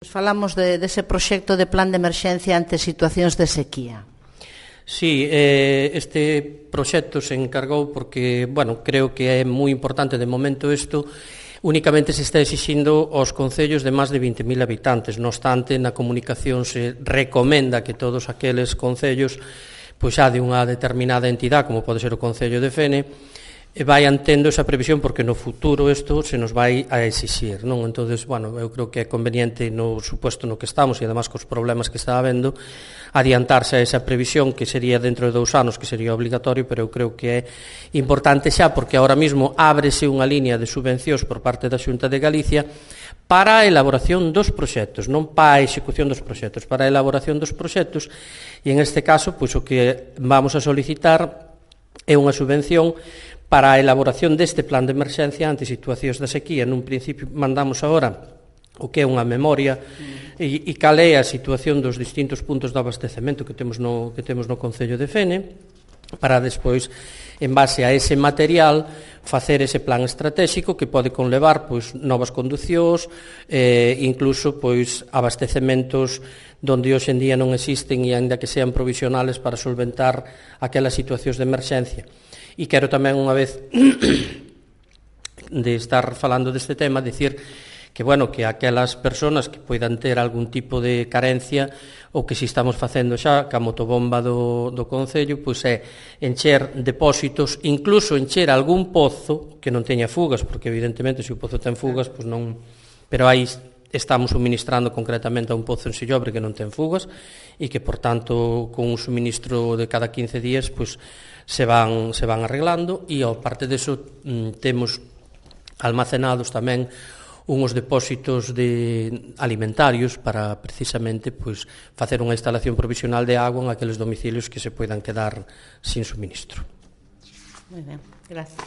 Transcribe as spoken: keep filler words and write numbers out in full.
Falamos de, dese proxecto de plan de emerxencia ante situacións de sequía. Sí, eh, este proxecto se encargou porque, bueno, creo que é moi importante de momento isto. Únicamente se está exixindo aos concellos de máis de vinte mil habitantes. Non obstante, na comunicación se recomenda que todos aqueles concellos, pois xa de unha determinada entidade, como pode ser o Concello de Fene, vayan tendo esa previsión, porque no futuro isto se nos vai a exixir, non? Entonces, bueno, eu creo que é conveniente no suposto no que estamos e además cos problemas que está habendo adiantarse a esa previsión, que sería dentro de dous anos, que sería obligatorio, pero eu creo que é importante xa, porque ahora mismo ábrese unha línea de subvencións por parte da Xunta de Galicia para a elaboración dos proxectos, non para a execución dos proxectos, para a elaboración dos proxectos, e en este caso, pois o que vamos a solicitar é unha subvención para a elaboración deste plan de emerxencia ante situacións de sequía. Nun principio mandamos agora o que é unha memoria e, e cal é a situación dos distintos puntos de abastecemento que temos no, que temos no Concello de Fene, para despois, en base a ese material, facer ese plan estratégico que pode conlevar pois, novas conducións, eh, incluso pois, abastecementos donde hoxe en día non existen e ainda que sean provisionales para solventar aquelas situacións de emerxencia. E quero tamén unha vez de estar falando deste tema, dicir que, bueno, que aquelas persoas que poidan ter algún tipo de carencia, o que si estamos facendo xa, que a motobomba do, do Concello, pois é encher depósitos, incluso encher algún pozo que non teña fugas, porque evidentemente se o pozo ten fugas, pois non, pero aí estamos suministrando concretamente a un pozo en Sillobre que non ten fugas e que, por tanto, con un suministro de cada quince días, pois se van, se van arreglando, e ao parte deso temos almacenados tamén unhos depósitos de alimentarios para precisamente pois, facer unha instalación provisional de agua en aqueles domicilios que se poidan quedar sin suministro. Moi ben, gracias.